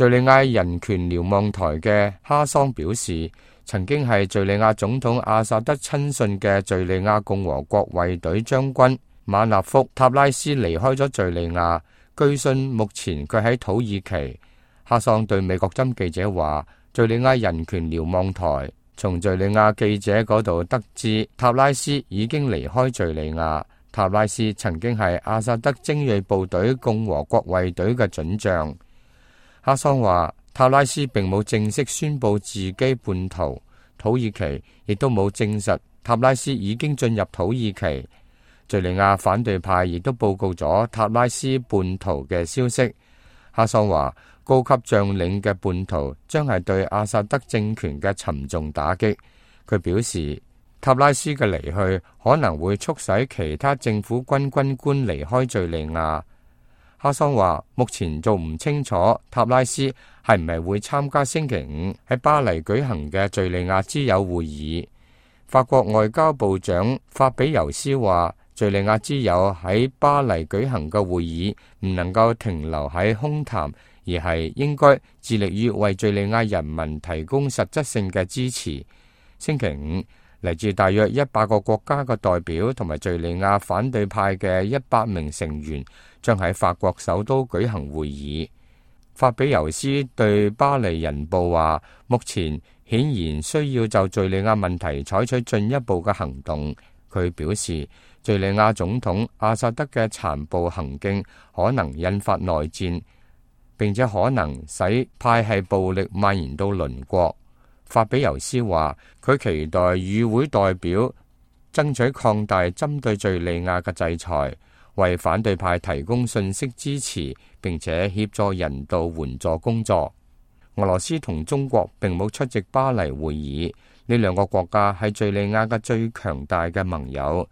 敘利亞人權瞭望台嘅哈桑表示，曾經係敘利亞總統阿薩德親信嘅敘利亞共和國衛隊將軍馬納福塔拉斯離開咗敘利亞，據信目前佢喺土耳其。哈桑對美國針記者話，敘利亞人權瞭望台從敘利亞記者嗰度得知塔拉斯已經離開敘利亞。塔拉斯曾經係阿薩德精銳部隊共和國衛隊嘅准將。哈桑話，塔拉斯並冇正式宣布自己叛逃，土耳其亦都冇證實塔拉斯已經進入土耳其。敘利亞反對派亦都報告咗塔拉斯叛逃嘅消息。哈桑話，高級將領嘅叛逃將係對阿薩德政權嘅沉重打擊。佢表示，塔拉斯嘅離去可能會促使其他政府軍軍官離開敘利亞。哈桑話，目前仲唔清楚塔拉斯係唔係會參加星期五喺巴黎舉行嘅敘利亞之友會議。法國外交部長法比尤斯話，敘利亞之友喺巴黎舉行嘅會議唔能夠停留喺空談，而係應該致力於為敘利亞人民提供實質性嘅支持。星期五，嚟自大約100個國家嘅代表同埋敘利亞反對派嘅100名成員將喺法國首都舉行會議。法比尤斯對巴黎人報話，目前顯然需要就敘利亞問題採取進一步嘅行動。佢表示，敘利亞總統阿薩德嘅殘暴行徑可能引發內戰，並且可能使派系暴力蔓延到鄰國。法比尤斯話，佢期待與會代表爭取擴大針對敘利亞嘅制裁，為反對派提供信息支持，並且協助人道援助工作。俄羅斯同中國並冇出席巴黎會議，呢兩個國家係敘利亞嘅最強大嘅盟友。